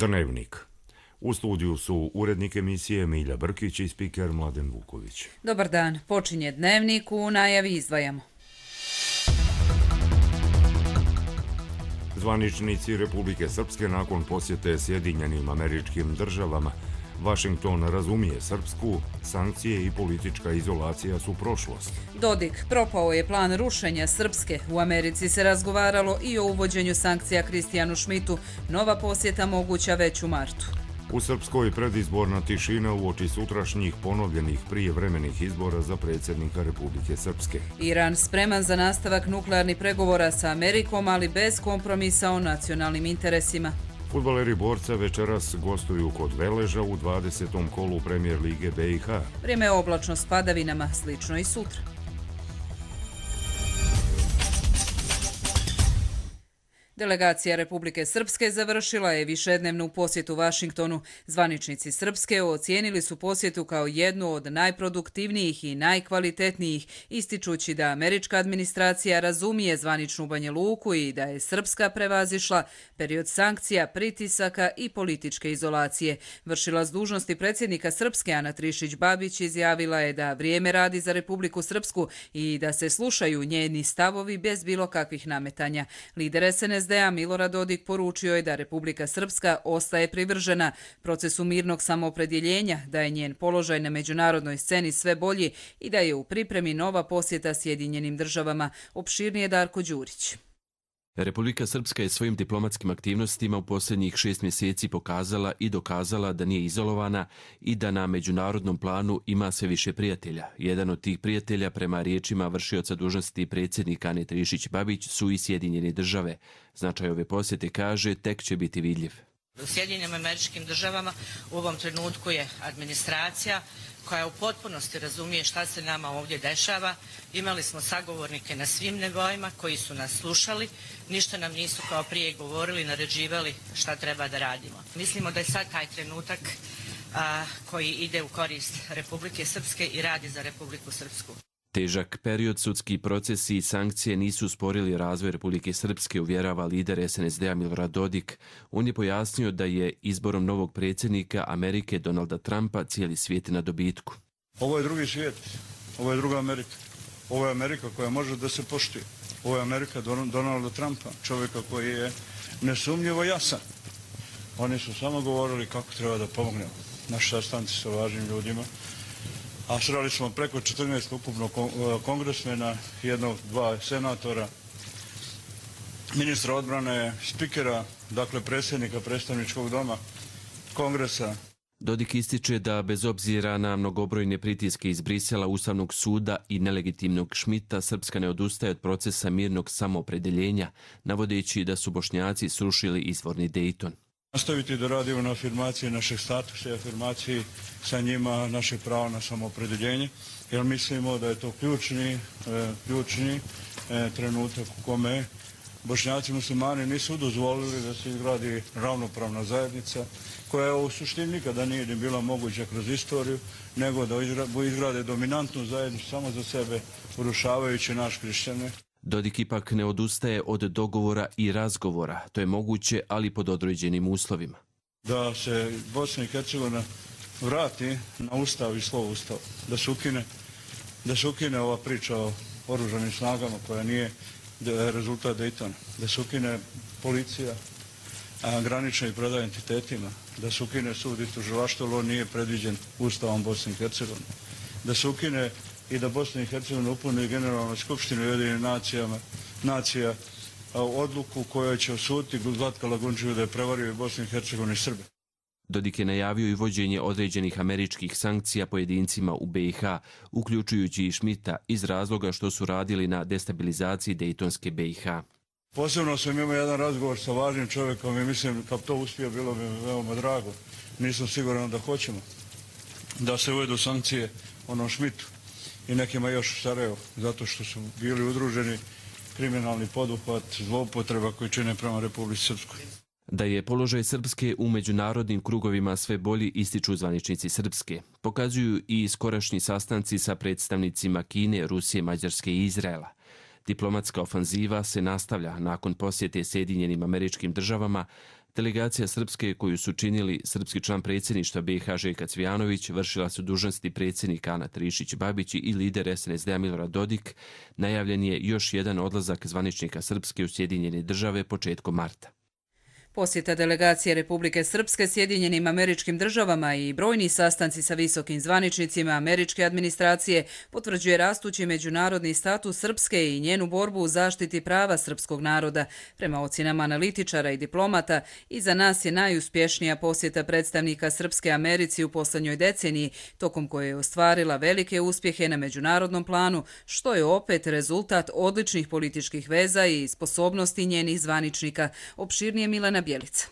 Dnevnik. U studiju su urednik emisije Milja Brkić i spiker Mladen Vuković. Dobar dan, počinje Dnevnik, u najavi izdvajamo. Zvaničnici Republike Srpske nakon posjete Sjedinjenim Američkim Državama. Vašington razumije Srpsku, sankcije i politička izolacija su prošlost. Dodik, propao je plan rušenja Srpske. U Americi se razgovaralo i o uvođenju sankcija Kristijanu Šmitu. Nova posjeta moguća već u martu. U Srpskoj predizborna tišina uoči sutrašnjih ponovljenih prijevremenih izbora za predsjednika Republike Srpske. Iran spreman za nastavak nuklearnih pregovora sa Amerikom, ali bez kompromisa o nacionalnim interesima. Fudbaleri Borca večeras gostuju kod Veleža u 20. kolu Premijer Lige BiH. Vrijeme je oblačno s padavinama, slično i sutra. Delegacija Republike Srpske završila je višednevnu posjetu Vašingtonu. Zvaničnici Srpske ocijenili su posjetu kao jednu od najproduktivnijih i najkvalitetnijih, ističući da američka administracija razumije zvaničnu Banja Luku i da je Srpska prevazišla period sankcija, pritisaka i političke izolacije. Vršilac dužnosti predsjednika Srpske Ana Trišić-Babić izjavila je da vrijeme radi za Republiku Srpsku i da se slušaju njeni stavovi bez bilo kakvih nametanja. Lider SNSD Milorad Dodik poručio je da Republika Srpska ostaje privržena procesu mirnog samoopredjeljenja, da je njen položaj na međunarodnoj sceni sve bolji i da je u pripremi nova posjeta Sjedinjenim Državama. Opširnije Darko Đurić. Republika Srpska je svojim diplomatskim aktivnostima u posljednjih 6 mjeseci pokazala i dokazala da nije izolovana i da na međunarodnom planu ima sve više prijatelja. Jedan od tih prijatelja, prema riječima vršioca dužnosti predsjednika Ane Trišić-Babić, su i Sjedinjene Države. Značaj ove posjete, kaže, tek će biti vidljiv. U Sjedinjenim Američkim Državama u ovom trenutku je administracija koja u potpunosti razumije šta se nama ovdje dešava. Imali smo sagovornike na svim nivoima koji su nas slušali, ništa nam nisu kao prije govorili, naređivali šta treba da radimo. Mislimo da je sad taj trenutak koji ide u korist Republike Srpske i radi za Republiku Srpsku. Težak period, sudski procesi i sankcije nisu usporili razvoj Republike Srpske, uvjerava lider SNSD-a Milorad Dodik. On je pojasnio da je izborom novog predsjednika Amerike Donalda Trumpa cijeli svijet na dobitku. Ovo je drugi svijet, ovo je druga Amerika. Ovo je Amerika koja može da se poštuje. Ovo je Amerika Donalda Trumpa, čovjeka koji je nesumnjivo jasan. Oni su samo govorili kako treba da pomognemo. Naši sastanci sa važnim ljudima. A sreli smo preko 14 ukupno kongresmena, jednog, 2 senatora, ministra odbrane, spikera, dakle predsjednika predstavničkog doma, kongresa. Dodik ističe da bez obzira na mnogobrojne pritiske iz Brisela, Ustavnog suda i nelegitimnog Šmita, Srpska ne odustaje od procesa mirnog samoopredeljenja, navodeći da su Bošnjaci srušili izvorni Dejton. Nastaviti da radimo na afirmaciji našeg statusa i afirmaciji sa njima našeg prava na samoopredeljenje, jer mislimo da je to ključni trenutak u kome Bošnjaci muslimani nisu dozvolili da se izgradi ravnopravna zajednica, koja u suštini nikada nije ni bila moguća kroz istoriju, nego da izgrade dominantnu zajednicu samo za sebe, urušavajući naš hrišćane. Dodik ipak ne odustaje od dogovora i razgovora. To je moguće, ali pod određenim uslovima. Da se Bosna i Hercegovina vrati na ustav i slovo ustava. Da se ukine ova priča o oružanim snagama koja nije rezultat Dejtona. Da se ukine policija, granične i predaje entitetima. Da se ukine sud i tužilaštvo, ali on nije predviđen ustavom Bosne i Hercegovine. Da se ukine i da Bosna i Hercegovina upuni Generalnoj skupštini Ujedinjenih nacija odluku koja će osuditi Zlatka Lagunčiju da je prevario Bosnu i Hercegovinu i Srbe. Dodik je najavio i vođenje određenih američkih sankcija pojedincima u BiH, uključujući i Šmita, iz razloga što su radili na destabilizaciji Dejtonske BiH. Posebno sam imao jedan razgovor sa važnim čovjekom i mislim kad to uspije bilo bi veoma drago. Nisam siguran da hoćemo da se uvedu sankcije onom Šmitu i nekima još u Sarajevu, zato što su bili udruženi kriminalni poduhvat, zloupotreba koji čine prema Republici Srpskoj. Da je položaj Srpske u međunarodnim krugovima sve bolji, ističu zvaničnici Srpske. Pokazuju i skorašnji sastanci sa predstavnicima Kine, Rusije, Mađarske i Izraela. Diplomatska ofanziva se nastavlja nakon posjete Sjedinjenim Američkim Državama. Delegacija Srpske koju su činili srpski član predsjedništva BiH Željka Cvijanović, vršila su dužnosti predsjednik Ana Trišić-Babić i lider SNSD-a Milorad Dodik. Najavljen je još jedan odlazak zvaničnika Srpske u Sjedinjene Države početkom marta. Posjeta delegacije Republike Srpske Sjedinjenim Američkim Državama i brojni sastanci sa visokim zvaničnicima američke administracije potvrđuje rastući međunarodni status Srpske i njenu borbu u zaštiti prava srpskog naroda. Prema ocjenama analitičara i diplomata, iza nas je najuspješnija posjeta predstavnika Srpske Americi u posljednjoj deceniji, tokom koje je ostvarila velike uspjehe na međunarodnom planu, što je opet rezultat odličnih političkih veza i sposobnosti njenih zvaničnika. Opširnije Milena Bjelica.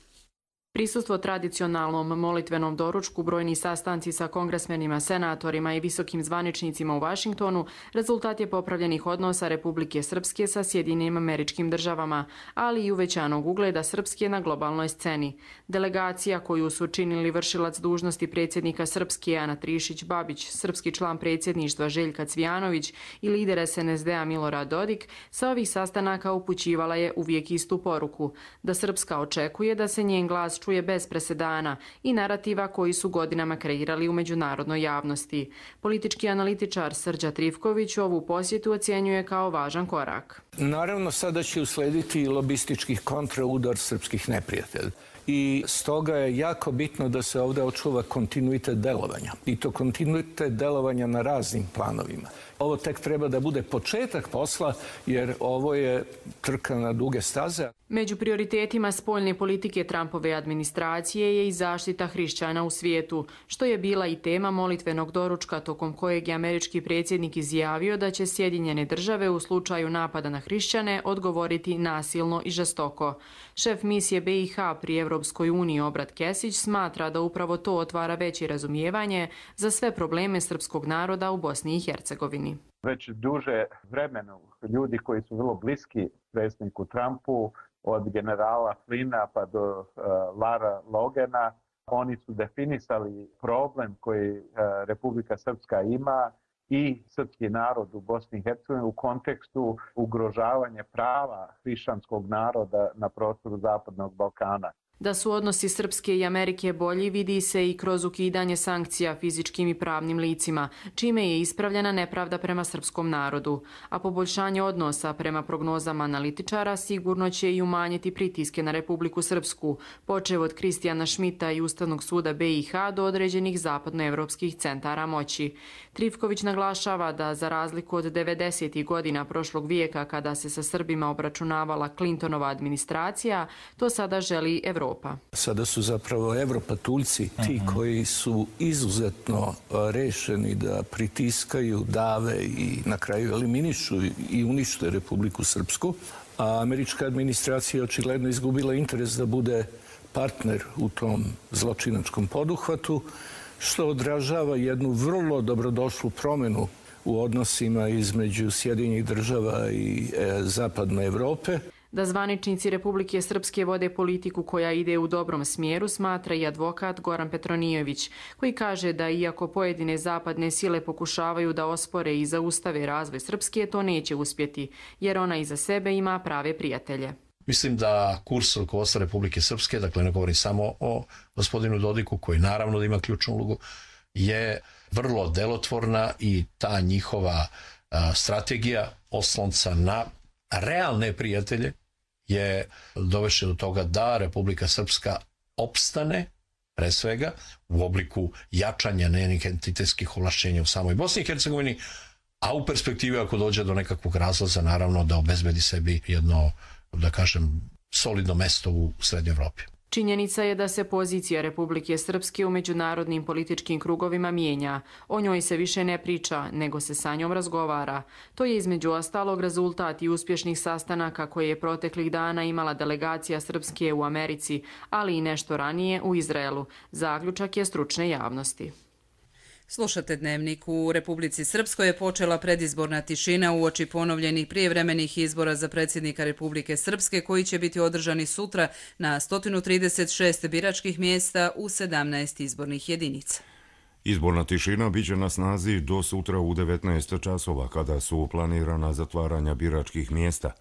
Prisustvo tradicionalnom molitvenom doručku, brojni sastanci sa kongresmenima, senatorima i visokim zvaničnicima u Vašingtonu rezultat je popravljenih odnosa Republike Srpske sa Sjedinjenim Američkim Državama, ali i uvećanog ugleda Srpske na globalnoj sceni. Delegacija koju su činili vršilac dužnosti predsjednika Srpske Ana Trišić-Babić, srpski član predsjedništva Željka Cvijanović i lider SNSD-a Milorad Dodik, sa ovih sastanaka upućivala je uvijek istu poruku, da Srpska očekuje da se njen glas čuje bez presedana i narativa koji su godinama kreirali u međunarodnoj javnosti. Politički analitičar Srđa Trifković ovu posjetu ocjenjuje kao važan korak. Naravno, sada će uslediti lobistički kontraudar srpskih neprijatelja. I stoga je jako bitno da se ovdje očuva kontinuitet delovanja. I to kontinuitet delovanja na raznim planovima. Ovo tek treba da bude početak posla, jer ovo je trka na duge staze. Među prioritetima spoljne politike Trumpove administracije je i zaštita hrišćana u svijetu, što je bila i tema molitvenog doručka tokom kojeg je američki predsjednik izjavio da će Sjedinjene Države u slučaju napada na hrišćane odgovoriti nasilno i žestoko. Šef misije BiH pri Evropskoj uniji Obrat Kesić smatra da upravo to otvara veće razumijevanje za sve probleme srpskog naroda u Bosni i Hercegovini. Već duže vremena ljudi koji su vrlo bliski predsjedniku Trumpu, od generala Flina pa do Lara Logana, oni su definisali problem koji Republika Srpska ima i srpski narod u Bosni i Hercegovini u kontekstu ugrožavanja prava hrišćanskog naroda na prostoru Zapadnog Balkana. Da su odnosi Srpske i Amerike bolji vidi se i kroz ukidanje sankcija fizičkim i pravnim licima, čime je ispravljena nepravda prema srpskom narodu. A poboljšanje odnosa prema prognozama analitičara sigurno će i umanjiti pritiske na Republiku Srpsku, počev od Kristijana Šmita i Ustavnog suda BiH do određenih zapadnoevropskih centara moći. Trifković naglašava da za razliku od 90. godina prošlog vijeka kada se sa Srbima obračunavala Clintonova administracija, to sada želi Evropa. Sada su zapravo evropatuljci ti koji su izuzetno rešeni da pritiskaju, dave i na kraju eliminišu i unište Republiku Srpsku. A američka administracija je očigledno izgubila interes da bude partner u tom zločinačkom poduhvatu, što odražava jednu vrlo dobrodošlu promjenu u odnosima između Sjedinjenih Država i Zapadne Evrope. Da zvaničnici Republike Srpske vode politiku koja ide u dobrom smjeru smatra i advokat Goran Petronijević, koji kaže da iako pojedine zapadne sile pokušavaju da ospore i zaustave razvoj Srpske, to neće uspjeti, jer ona iza sebe ima prave prijatelje. Mislim da kurs rukovodstva Republike Srpske, dakle ne govorim samo o gospodinu Dodiku, koji naravno da ima ključnu ulogu, je vrlo delotvorna i ta njihova strategija oslonca na realne prijatelje je dovešće do toga da Republika Srpska opstane, pre svega, u obliku jačanja njenih entitetskih ovlašćenja u samoj Bosni i Hercegovini, a u perspektivi ako dođe do nekakvog razlaza, naravno da obezbedi sebi jedno, da kažem, solidno mesto u Srednjoj Evropi. Činjenica je da se pozicija Republike Srpske u međunarodnim političkim krugovima mijenja. O njoj se više ne priča, nego se sa njom razgovara. To je između ostalog rezultat i uspješnih sastanaka koje je proteklih dana imala delegacija Srpske u Americi, ali i nešto ranije u Izraelu. Zaključak je stručne javnosti. Slušate Dnevnik. U Republici Srpskoj je počela predizborna tišina uoči ponovljenih prijevremenih izbora za predsjednika Republike Srpske koji će biti održani sutra na 136 biračkih mjesta u 17 izbornih jedinica. Izborna tišina biće na snazi do sutra u 19 časova kada su planirana zatvaranja biračkih mjesta.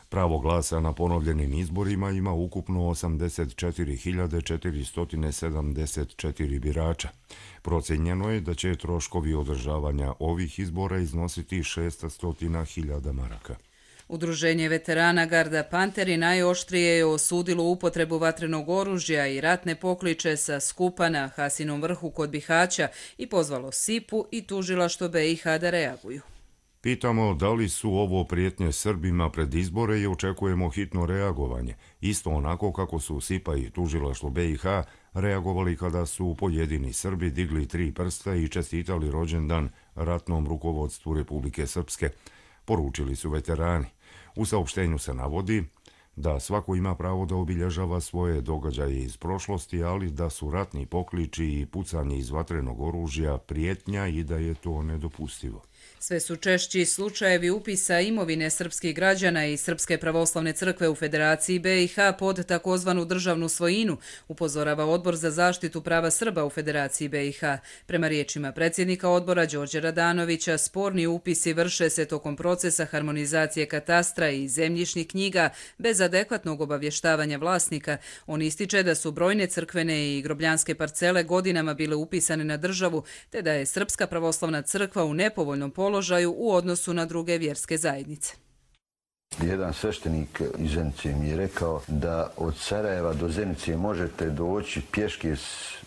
Pravo glasa na ponovljenim izborima ima ukupno 84.474 birača. Procenjeno je da će troškovi održavanja ovih izbora iznositi 600.000 maraka. Udruženje veterana Garda Panteri najoštrije je osudilo upotrebu vatrenog oružja i ratne pokliče sa skupa na Hasinom vrhu kod Bihaća i pozvalo SIP-u i tužilaštvo BiH da reaguju. Pitamo da li su ovo prijetnje Srbima pred izbore i očekujemo hitno reagovanje, isto onako kako su SIP-a i tužilaštvo BiH reagovali kada su pojedini Srbi digli 3 prsta i čestitali rođendan ratnom rukovodstvu Republike Srpske, poručili su veterani. U saopštenju se navodi da svako ima pravo da obilježava svoje događaje iz prošlosti, ali da su ratni pokliči i pucanje iz vatrenog oružja prijetnja i da je to nedopustivo. Sve su češći slučajevi upisa imovine srpskih građana i Srpske pravoslavne crkve u Federaciji BiH pod takozvanu državnu svojinu, upozorava Odbor za zaštitu prava Srba u Federaciji BiH. Prema riječima predsjednika odbora Đorđe Radanovića, sporni upisi vrše se tokom procesa harmonizacije katastra i zemljišnih knjiga bez adekvatnog obavještavanja vlasnika. On ističe da su brojne crkvene i grobljanske parcele godinama bile upisane na državu, te da je Srpska pravoslavna crkva u nepovoljnom položaju u odnosu na druge vjerske zajednice. Jedan sveštenik iz Zenice mi je rekao da od Sarajeva do Zenice možete doći pješke,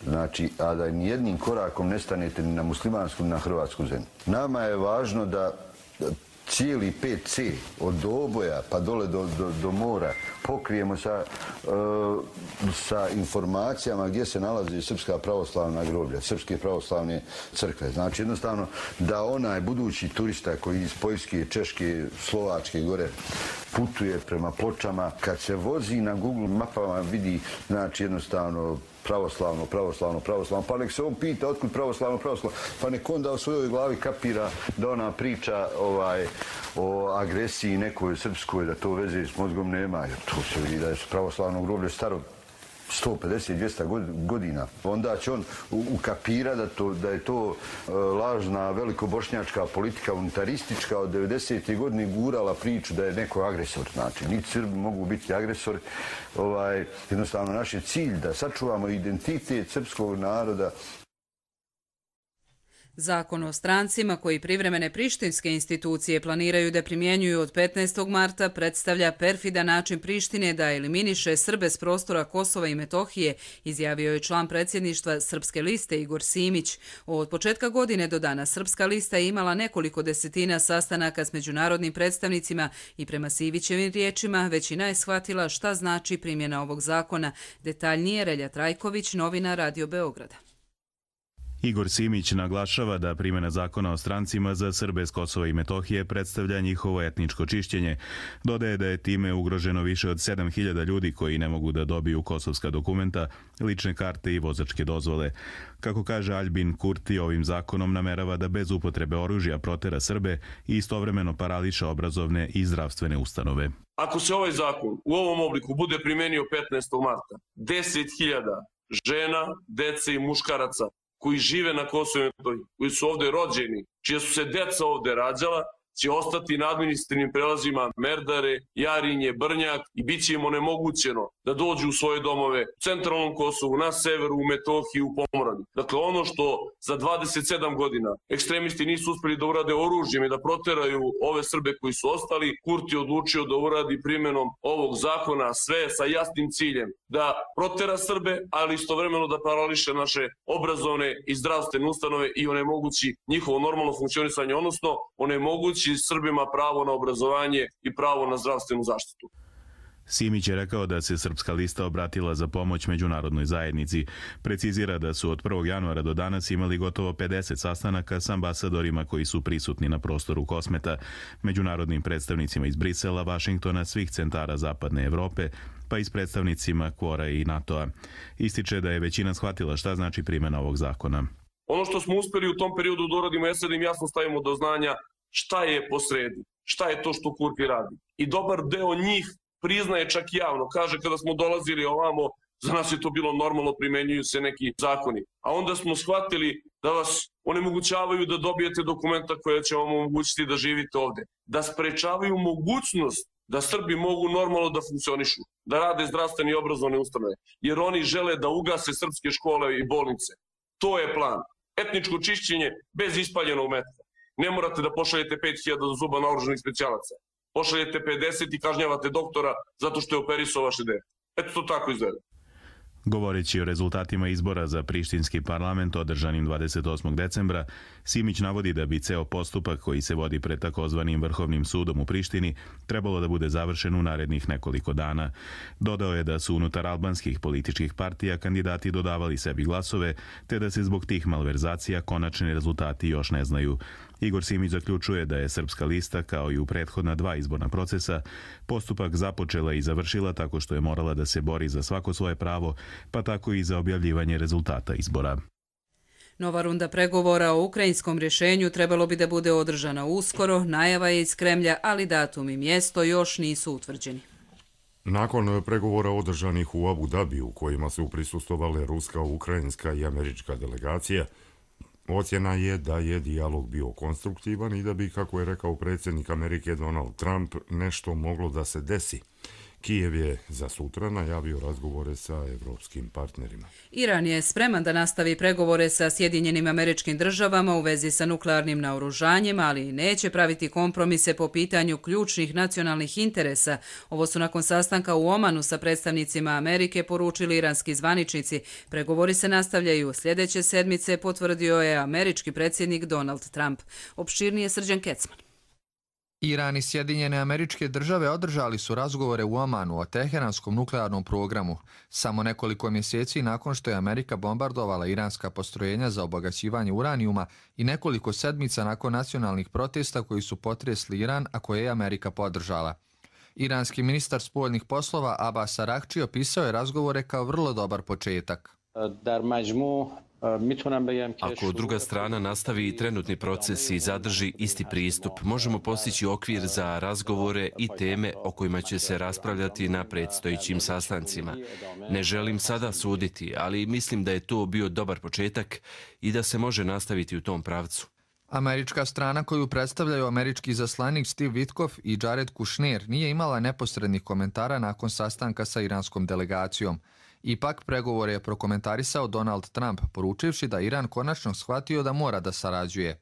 znači, a da ni jednim korakom ne stanete ni na muslimansku ni na hrvatsku zemlju. Nama je važno da cijeli 5C od Doboja pa dole do mora pokrijemo sa informacijama gdje se nalazi Srpska pravoslavna groblja, Srpske pravoslavne crkve. Znači jednostavno da onaj budući turista koji iz Poljske, Češke, Slovačke gore putuje prema Pločama, kad se vozi na Google mapama vidi, znači jednostavno pravoslavno, pa nek se on pita otkud pravoslavno, pa nek onda u svojoj glavi kapira da ona priča o agresiji nekoj srpskoj, da to veze s mozgom nema, jer to se vidi da je pravoslavno groblje staro 150-200 godina. Onda će on ukapira da je to lažna velikobošnjačka politika unitaristička od 90. godine gurala priču da je neko agresor. Znači, niti Srbi mogu biti agresori. Jednostavno, naš je cilj da sačuvamo identitet srpskog naroda. Zakon o strancima koji privremene prištinske institucije planiraju da primjenjuju od 15. marta predstavlja perfidan način Prištine da eliminiše Srbe s prostora Kosova i Metohije, izjavio je član predsjedništva Srpske liste Igor Simić. Od početka godine do danas Srpska lista je imala nekoliko desetina sastanaka s međunarodnim predstavnicima i prema Sivićevim riječima većina je shvatila šta znači primjena ovog zakona. Detaljnije Relja Trajković, novina Radio Beograda. Igor Simić naglašava da primjena zakona o strancima za Srbe s Kosova i Metohije predstavlja njihovo etničko čišćenje. Dodaje da je time ugroženo više od 7.000 ljudi koji ne mogu da dobiju kosovska dokumenta, lične karte i vozačke dozvole. Kako kaže Aljbin Kurti, ovim zakonom namerava da bez upotrebe oružja protera Srbe i istovremeno parališa obrazovne i zdravstvene ustanove. Ako se ovaj zakon u ovom obliku bude primenio 15. marta, 10.000 žena, dece i muškaraca koji žive na Kosovu i Metohiji, koji su ovde rođeni, čija su se deca ovde rađala, će ostati na administrativnim prelazima Merdare, Jarinje, Brnjak i bit će im onemogućeno da dođu u svoje domove u centralnom Kosovu, na severu, u Metohiji, u Pomoravlju. Dakle, ono što za 27 godina ekstremisti nisu uspeli da urade oružjem i da proteraju ove Srbe koji su ostali, Kurti je odlučio da uradi primjenom ovog zakona sve sa jasnim ciljem da protera Srbe, ali istovremeno da parališe naše obrazovne i zdravstvene ustanove i onemogući njihovo normalno funkcionisanje, odnosno onemogući Srbima pravo na obrazovanje i pravo na zdravstvenu zaštitu. Simić je rekao da se Srpska lista obratila za pomoć međunarodnoj zajednici. Precizira da su od 1. januara do danas imali gotovo 50 sastanaka s ambasadorima koji su prisutni na prostoru Kosmeta, međunarodnim predstavnicima iz Brisela, Vašingtona, svih centara Zapadne Evrope, pa i s predstavnicima Kvora i NATO-a. Ističe da je većina shvatila šta znači primjena ovog zakona. Ono što smo uspeli u tom periodu da uradimo jeste da im jasno stavimo do znanja šta je posredi, šta je to što Kurti radi. I dobar deo njih priznaje čak javno, kaže kada smo dolazili ovamo, za nas je to bilo normalno, primenjuju se neki zakoni. A onda smo shvatili da vas onemogućavaju da dobijete dokumenta koja će vam omogućiti da živite ovde. Da sprečavaju mogućnost da Srbi mogu normalno da funkcionišu, da rade zdravstvene i obrazovne ustanove, jer oni žele da ugase srpske škole i bolnice. To je plan. Etničko čišćenje bez ispaljenog metka. Ne morate da pošaljete 5000 zuba naoružanih specijalaca. Pošaljete 50 i kažnjavate doktora zato što je operisao vaše dete. Eto to tako izgleda. Govoreći o rezultatima izbora za prištinski parlament održanim 28. decembra, Simić navodi da bi ceo postupak koji se vodi pred takozvanim Vrhovnim sudom u Prištini trebalo da bude završen u narednih nekoliko dana. Dodao je da su unutar albanskih političkih partija kandidati dodavali sebi glasove, te da se zbog tih malverzacija konačni rezultati još ne znaju. Igor Simić zaključuje da je Srpska lista, kao i u prethodna 2 izborna procesa, postupak započela i završila tako što je morala da se bori za svako svoje pravo, pa tako i za objavljivanje rezultata izbora. Nova runda pregovora o ukrajinskom rješenju trebalo bi da bude održana uskoro, najava je iz Kremlja, ali datum i mjesto još nisu utvrđeni. Nakon pregovora održanih u Abu Dabiju, u kojima su prisustvovale ruska, ukrajinska i američka delegacija, ocjena je da je dijalog bio konstruktivan i da bi, kako je rekao predsjednik Amerike Donald Trump, nešto moglo da se desi. Kijev je za sutra najavio razgovore sa evropskim partnerima. Iran je spreman da nastavi pregovore sa Sjedinjenim Američkim Državama u vezi sa nuklearnim naoružanjem, ali neće praviti kompromise po pitanju ključnih nacionalnih interesa. Ovo su nakon sastanka u Omanu sa predstavnicima Amerike poručili iranski zvaničnici. Pregovori se nastavljaju sljedeće sedmice, potvrdio je američki predsjednik Donald Trump. Opširnije Srđan Kecman. Iran i Sjedinjene Američke Države održali su razgovore u Omanu o teheranskom nuklearnom programu, samo nekoliko mjeseci nakon što je Amerika bombardovala iranska postrojenja za obogaćivanje uranijuma i nekoliko sedmica nakon nacionalnih protesta koji su potresli Iran, a koje je Amerika podržala. Iranski ministar spoljnih poslova Abbas Araghči opisao je razgovore kao vrlo dobar početak. Ako druga strana nastavi trenutni proces i zadrži isti pristup, možemo postići okvir za razgovore i teme o kojima će se raspravljati na predstojećim sastancima. Ne želim sada suditi, ali mislim da je to bio dobar početak i da se može nastaviti u tom pravcu. Američka strana koju predstavljaju američki izaslanik Steve Witkoff i Jared Kushner nije imala neposrednih komentara nakon sastanka sa iranskom delegacijom. Ipak, pregovore je prokomentarisao Donald Trump, poručivši da Iran konačno shvatio da mora da sarađuje.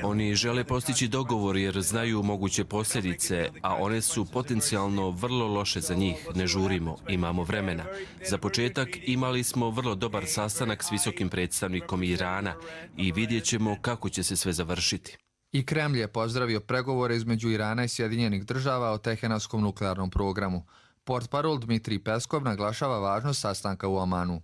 Oni žele postići dogovor jer znaju moguće posljedice, a one su potencijalno vrlo loše za njih. Ne žurimo, imamo vremena. Za početak imali smo vrlo dobar sastanak s visokim predstavnikom Irana i vidjet ćemo kako će se sve završiti. I Kremlj je pozdravio pregovore između Irana i Sjedinjenih Država o teheranskom nuklearnom programu. Portparol Dmitrij Peskov naglašava važnost sastanka u Omanu.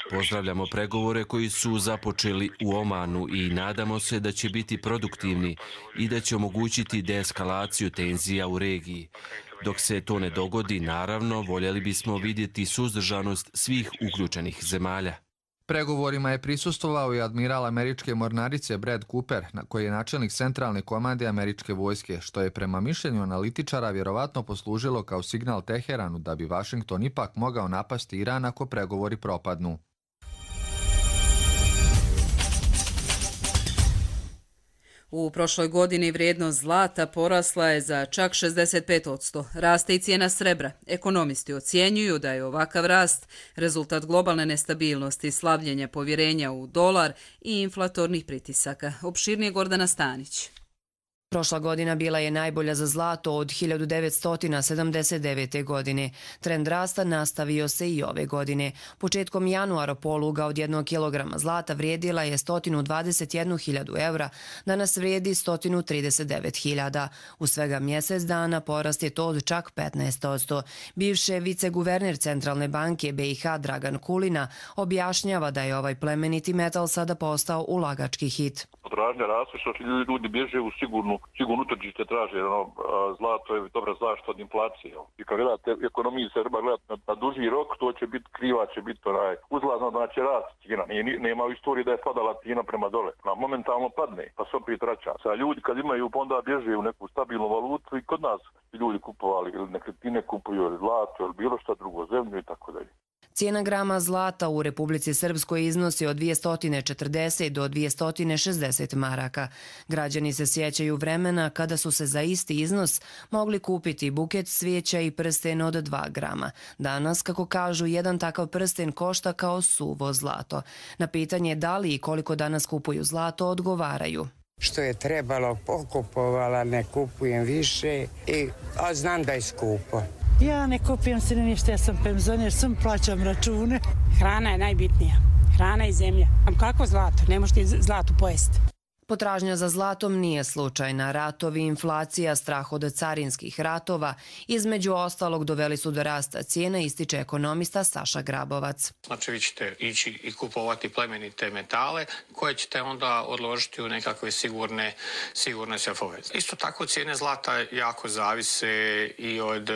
Pozdravljamo pregovore koji su započeli u Omanu i nadamo se da će biti produktivni i da će omogućiti deeskalaciju tenzija u regiji. Dok se to ne dogodi, naravno, voljeli bismo vidjeti suzdržanost svih uključenih zemalja. Pregovorima je prisustvovao i admiral američke mornarice Brad Cooper, koji je načelnik centralne komande američke vojske, što je prema mišljenju analitičara vjerovatno poslužilo kao signal Teheranu da bi Vašington ipak mogao napasti Iran ako pregovori propadnu. U prošloj godini vrijednost zlata porasla je za čak 65%. Raste i cijena srebra. Ekonomisti ocjenjuju da je ovakav rast rezultat globalne nestabilnosti, slabljenja povjerenja u dolar i inflatornih pritisaka. Opširnije Gordana Stanić. Prošla godina bila je najbolja za zlato od 1979. godine. Trend rasta nastavio se i ove godine. Početkom januara poluga od 1 kg zlata vrijedila je 121.000 evra, danas vrijedi 139.000. U svega mjesec dana porast je to od čak 15%. Bivše viceguverner Centralne banke BiH Dragan Kulina objašnjava da je ovaj plemeniti metal sada postao ulagački hit. Potražnja raste što ljudi bježe u sigurno utržište traže, zlato je dobra zaštita od inflacije. I kad gledate ekonomiju se treba gledati na duži rok, to će biti kriva, će biti uzlazno, znači rast cijena. Nema u istoriji da je padala cijena prema dole. Momentalno padne, pa se opet vraća. Sad ljudi kad imaju, pa onda bježe u neku stabilnu valutu i kod nas ljudi kupovali ili nekretnine kupuju ili zlato ili bilo šta drugo, zemlju i tako dalje. Cijena grama zlata u Republici Srpskoj iznosi od 240 do 260 maraka. Građani se sjećaju vremena kada su se za isti iznos mogli kupiti buket cvijeća i prsten od 2 grama. Danas, kako kažu, jedan takav prsten košta kao suvo zlato. Na pitanje da li i koliko danas kupuju zlato, odgovaraju. Što je trebalo, pokupovala, ne kupujem više, a znam da je skupo. Ja ne kupujem se ništa, ja sam penzioner, sam plaćam račune. Hrana je najbitnija, hrana i zemlja. Kako zlato? Ne možete zlatu pojesti. Potražnja za zlatom nije slučajna. Ratovi, inflacija, strah od carinskih ratova, između ostalog doveli su do rasta cijena, ističe ekonomista Saša Grabovac. Znači vi ćete ići i kupovati plemenite metale koje ćete onda odložiti u nekakve sigurne sefove. Isto tako cijene zlata jako zavise i od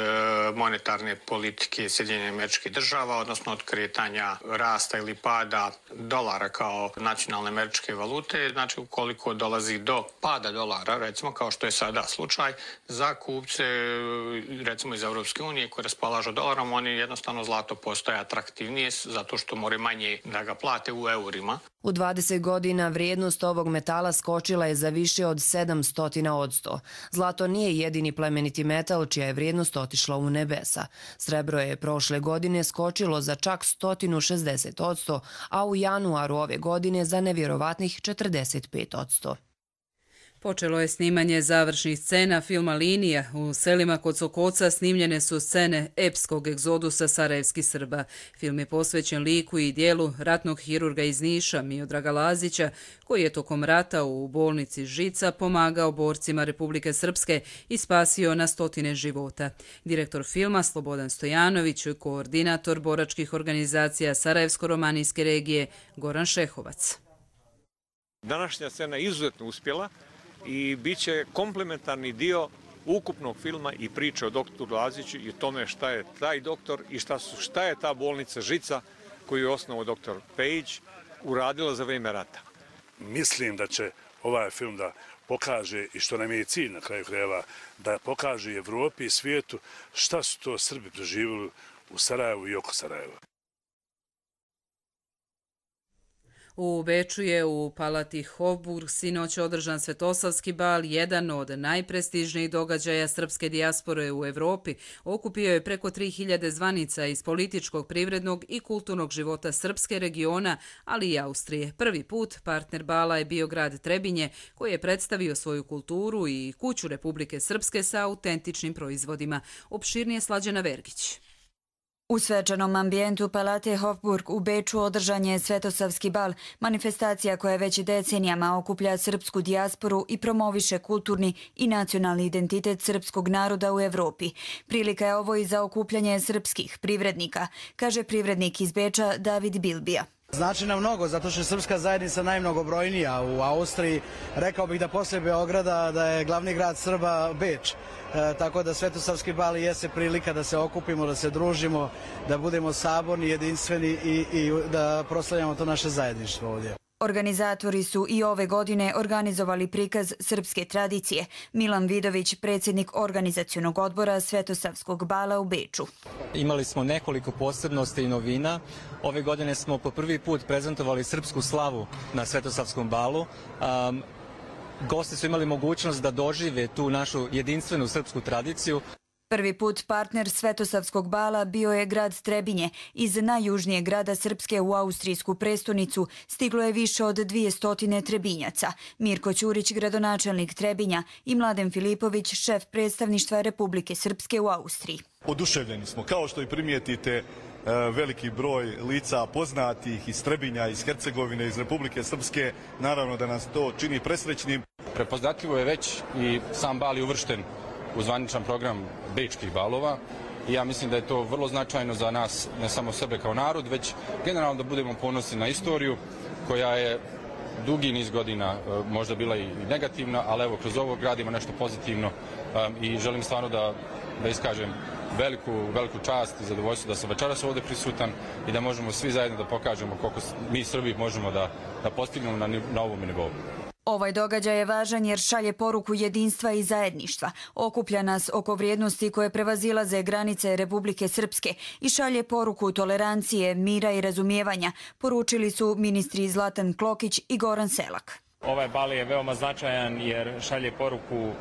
monetarne politike Sjedinjenih Američkih Država, odnosno od kretanja rasta ili pada dolara kao nacionalne američke valute. Znači ukoliko dolazi do pada dolara, recimo kao što je sada slučaj, za kupce recimo iz Europske unije koji raspolažu dolarom, oni jednostavno zlato postaje atraktivnije zato što more manje da ga plate u eurima. U 20 godina vrijednost ovog metala skočila je za više od 700%. Zlato nije jedini plemeniti metal čija je vrijednost otišla u nebesa. Srebro je prošle godine skočilo za čak 160%, a u januaru ove godine za nevjerovatnih 45%. Počelo je snimanje završnih scena filma Linija. U selima kod Sokoca snimljene su scene epskog egzodusa sarajevskih Srba. Film je posvećen liku i dijelu ratnog hirurga iz Niša, Miodraga Lazića, koji je tokom rata u bolnici Žica pomagao borcima Republike Srpske i spasio na stotine života. Direktor filma Slobodan Stojanović, koordinator boračkih organizacija Sarajevsko-romanijske regije Goran Šehovac. Današnja scena je izuzetno uspjela i bit će komplementarni dio ukupnog filma i priče o doktoru Laziću i o tome šta je taj doktor i šta je ta bolnica Žica koju je osnovao doktor Pejić uradila za vrijeme rata. Mislim da će ovaj film da pokaže i što nam je cilj na kraju krajeva, da pokaže Evropi i svijetu šta su to Srbi preživjeli u Sarajevu i oko Sarajeva. U Beču je u palati Hofburg sinoć održan Svetosavski bal, jedan od najprestižnijih događaja srpske dijaspore u Evropi. Okupio je preko 3000 zvanica iz političkog, privrednog i kulturnog života srpske regiona, ali i Austrije. Prvi put partner bala je bio grad Trebinje, koji je predstavio svoju kulturu i kuću Republike Srpske sa autentičnim proizvodima. Opširnije Slađana Vergić. U svečanom ambijentu Palate Hofburg u Beču održan je Svetosavski bal, manifestacija koja već decenijama okuplja srpsku dijasporu i promoviše kulturni i nacionalni identitet srpskog naroda u Evropi. Prilika je ovo i za okupljanje srpskih privrednika, kaže privrednik iz Beča David Bilbija. Znači nam mnogo, zato što je srpska zajednica najmnogobrojnija u Austriji. Rekao bih da poslije Beograda da je glavni grad Srba Beč. Tako da Svetosavski bal jeste prilika da se okupimo, da se družimo, da budemo saborni, jedinstveni i da proslavljamo to naše zajedništvo ovdje. Organizatori su i ove godine organizovali prikaz srpske tradicije. Milan Vidović, predsjednik organizacionog odbora Svetosavskog bala u Beču. Imali smo nekoliko posebnosti i novina. Ove godine smo po prvi put prezentovali srpsku slavu na Svetosavskom balu. Gosti su imali mogućnost da dožive tu našu jedinstvenu srpsku tradiciju. Prvi put partner Svetosavskog bala bio je grad Trebinje. Iz najjužnijeg grada Srpske u austrijsku prestonicu stiglo je više od 200 Trebinjaca. Mirko Ćurić, gradonačelnik Trebinja, i Mladen Filipović, šef predstavništva Republike Srpske u Austriji. Oduševljeni smo, kao što i primijetite, veliki broj lica poznatih iz Trebinja, iz Hercegovine, iz Republike Srpske. Naravno da nas to čini presrećnim. Prepoznatljivo je već i sam bal je uvršten u zvaničan program bečkih balova i ja mislim da je to vrlo značajno za nas, ne samo sebe kao narod, već generalno da budemo ponosni na istoriju koja je dugi niz godina možda bila i negativna, ali evo kroz ovo gradimo nešto pozitivno i želim stvarno da iskažem veliku čast i zadovoljstvo da sam večeras ovdje prisutan i da možemo svi zajedno da pokažemo koliko mi Srbi možemo da postignemo na ovom nivou. Ovaj događaj je važan jer šalje poruku jedinstva i zajedništva, okuplja nas oko vrijednosti koje prevazilaze granice Republike Srpske i šalje poruku tolerancije, mira i razumijevanja, poručili su ministri Zlatan Klokić i Goran Selak. Ovaj bal je veoma značajan jer šalje poruku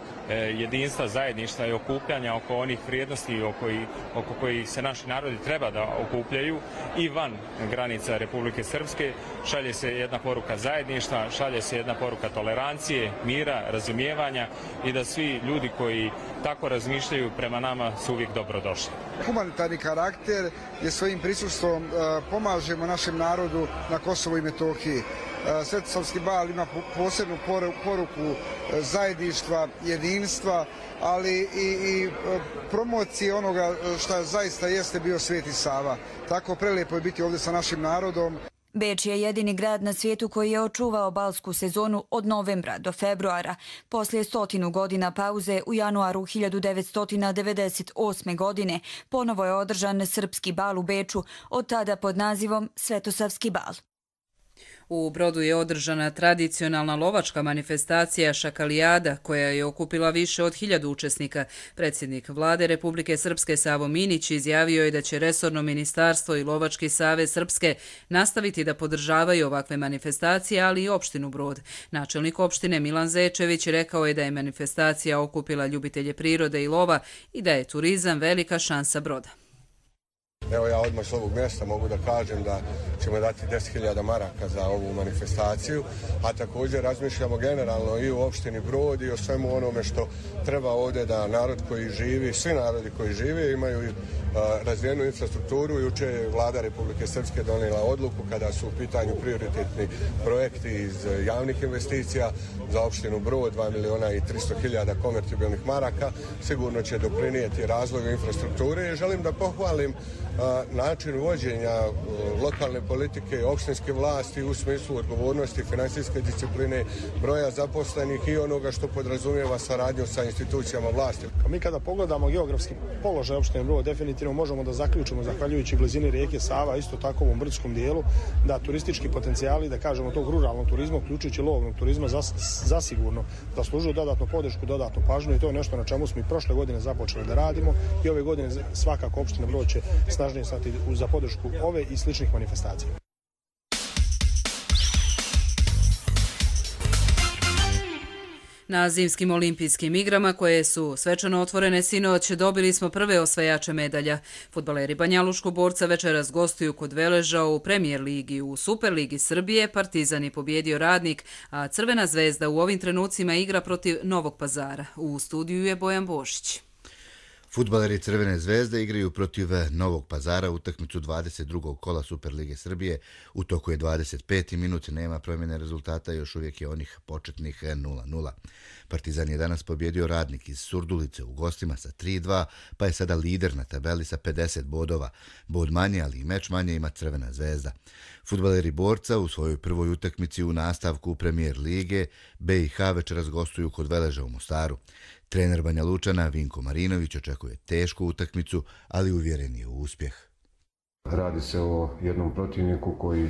jedinstva, zajedništva i okupljanja oko onih vrijednosti oko kojih se naši narodi treba da okupljaju i van granica Republike Srpske. Šalje se jedna poruka zajedništva, šalje se jedna poruka tolerancije, mira, razumijevanja i da svi ljudi koji tako razmišljaju prema nama su uvijek dobrodošli. Humanitarni karakter je svojim prisustvom pomažemo našem narodu na Kosovu i Metohiji. Svetosavski bal ima posebnu poruku zajedništva, jedinstva, ali i promocije onoga što zaista jeste bio Sveti Sava. Tako prelijepo je biti ovdje sa našim narodom. Beč je jedini grad na svijetu koji je očuvao balsku sezonu od novembra do februara. Poslije 100 godina pauze u januaru 1998. godine ponovo je održan srpski bal u Beču, od tada pod nazivom Svetosavski bal. U Brodu je održana tradicionalna lovačka manifestacija Šakalijada, koja je okupila više od 1000 učesnika. Predsjednik vlade Republike Srpske Savo Minić izjavio je da će resorno ministarstvo i Lovački savez Srpske nastaviti da podržavaju ovakve manifestacije, ali i opštinu Brod. Načelnik opštine Milan Zečević rekao je da je manifestacija okupila ljubitelje prirode i lova i da je turizam velika šansa Broda. Evo ja odmah s ovog mjesta mogu da kažem da ćemo dati 10.000 maraka za ovu manifestaciju, a također razmišljamo generalno i u opštini Brod i o svemu onome što treba ovdje da narod koji živi, svi narodi koji žive imaju razvijenu infrastrukturu. Jučer je vlada Republike Srpske donijela odluku kada su u pitanju prioritetni projekti iz javnih investicija za opštinu Brod, 2.300.000 konvertibilnih maraka. Sigurno će doprinijeti razvoju infrastrukture i želim da pohvalim način uvođenja lokalne politike, opštinske vlasti u smislu odgovornosti, finansijske discipline, broja zaposlenih i onoga što podrazumijeva saradnju sa institucijama vlasti. Mi kada pogledamo geografski položaj opštine Brod, definitivno možemo da zaključimo, zahvaljujući blizini rijeke Sava, isto tako u ovom brdskom dijelu, da turistički potencijali, da kažemo tog ruralnog turizma, uključujući lovnog turizma, zasigurno zaslužuju dodatnu podršku, dodatnu pažnju i to je nešto na čemu smo i prošle godine započeli da radimo i ove godine svakako opština Brod će snažnije stati za podršku ove i sličnih manifestacija. Na zimskim olimpijskim igrama, koje su svečano otvorene sinoć, dobili smo prve osvajače medalja. Fudbaleri Banjaluškog Borca večeras gostuju kod Veleža u Premijer ligi. U Superligi Srbije Partizan je pobjedio Radnik, a Crvena zvezda u ovim trenucima igra protiv Novog Pazara. U studiju je Bojan Božić. Fudbaleri Crvene zvezde igraju protiv Novog Pazara utakmicu 22. kola Superlige Srbije. U toku je 25. minut, nema promjene rezultata, još uvijek je onih početnih 0-0. Partizan je danas pobjedio Radnik iz Surdulice u gostima sa 3-2, pa je sada lider na tabeli sa 50 bodova. Bod manje, ali i meč manje ima Crvena zvezda. Fudbaleri Borca u svojoj prvoj utakmici u nastavku Premijer lige BiH večeras gostuju kod Veleža u Mostaru. Trener Banja Lučana Vinko Marinović očekuje tešku utakmicu, ali uvjeren je u uspjeh. Radi se o jednom protivniku koji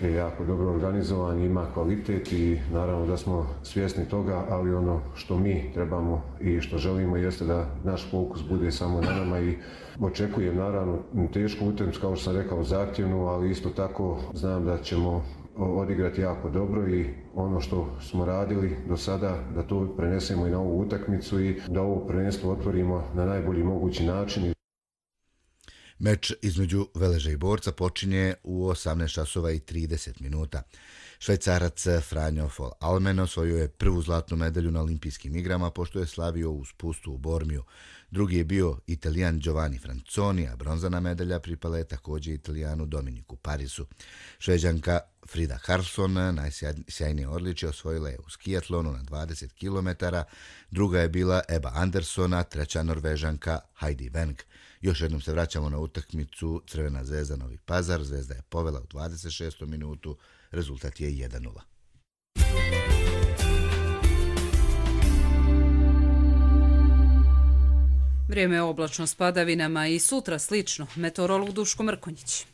je jako dobro organizovan, ima kvalitet i naravno da smo svjesni toga, ali ono što mi trebamo i što želimo jeste da naš fokus bude samo na nama i očekujem naravno tešku utakmicu, kao što sam rekao, zahtjevnu, ali isto tako znam da ćemo odigrati jako dobro i ono što smo radili do sada da to prenesemo i na ovu utakmicu i da ovo prvenstvo otvorimo na najbolji mogući način. Meč između Veleža i Borca počinje u 18:30 minuta. Švajcarac Franjo Fol Almen osvojio je prvu zlatnu medalju na olimpijskim igrama pošto je slavio u spustu u Bormiju. Drugi je bio Italijan Giovanni Franconi, a bronzana medalja pripala je također Italijanu Dominiku Parisu. Šveđanka Frida Karlsson najsjajnije odličje osvojila je u skijatlonu na 20 km, druga je bila Eba Anderson, a treća Norvežanka Heidi Weng. Još jednom se vraćamo na utakmicu Crvena zvezda Novi Pazar. Zvezda je povela u 26. minutu, rezultat je 1:0. Vrijeme je oblačno s padavinama i sutra slično. Meteorolog Duško Mrkonjić.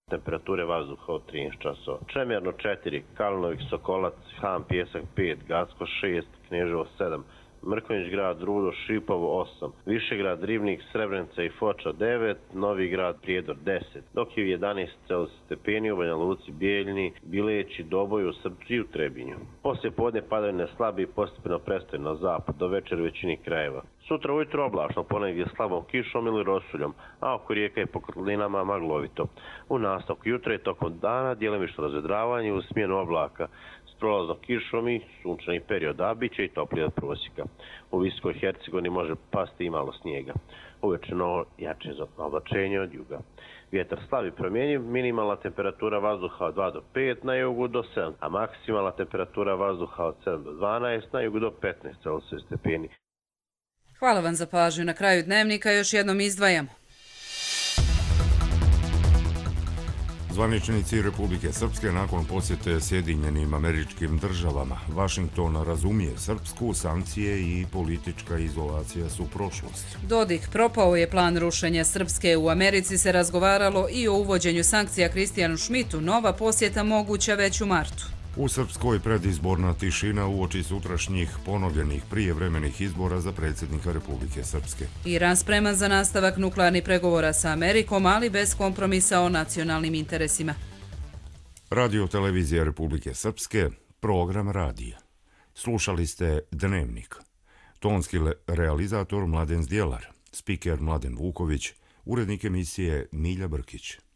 Temperature vazduha od 13 časova. Čemerno 4, Kalinović, Sokolac, Han, Pjesak 5, Gacko 6, Kneževo 7, Mrkonjić grad, Rudo, Šipovo 8, Višegrad, Rivnik, Srebrenica i Foča 9, Novi grad, Prijedor 10, dok je u 11 Celzijusnih stepeni u Banja Luci, Bijeljini, Bileći, Doboju, Srpči i u Trebinju. Poslije podne padavine slabi i postepeno prestaju na zapad, do večera u većini krajeva. Sutra ujutro oblačno, ponegdje slabom kišom ili rosuljom, a oko rijeka i po kotlinama maglovito. U nastavku jutra i tokom dana djelimično razvedravanje uz smjenu oblaka s prolaznom kišom i sunčanih perioda, a bit će i toplije od prosjeka. U Visokoj Hercegovini može pasti i malo snijega. Uveče novo jače oblačenje od juga. Vjetar slab i promjenjiv, minimalna temperatura vazduha od 2 do 5, na jugu do 7, a maksimalna temperatura vazduha od 7 do 12, na jugu do 15 Celzijusnih stepeni. Hvala vam za pažnju. Na kraju dnevnika još jednom izdvajamo. Zvaničnici Republike Srpske nakon posjete Sjedinjenim Američkim Državama. Vašington razumije Srpsku, sankcije i politička izolacija su prošlost. Dodik, propao je plan rušenja Srpske. U Americi se razgovaralo i o uvođenju sankcija Kristijanu Šmitu. Nova posjeta moguća već u martu. U Srpskoj predizborna tišina uoči sutrašnjih ponovljenih prijevremenih izbora za predsjednika Republike Srpske. Iran spreman za nastavak nuklearnih pregovora sa Amerikom, ali bez kompromisa o nacionalnim interesima. Radio televizija Republike Srpske, program radija. Slušali ste Dnevnik. Tonski realizator Mladen Zdjelar, spiker Mladen Vuković, urednik emisije Milja Brkić.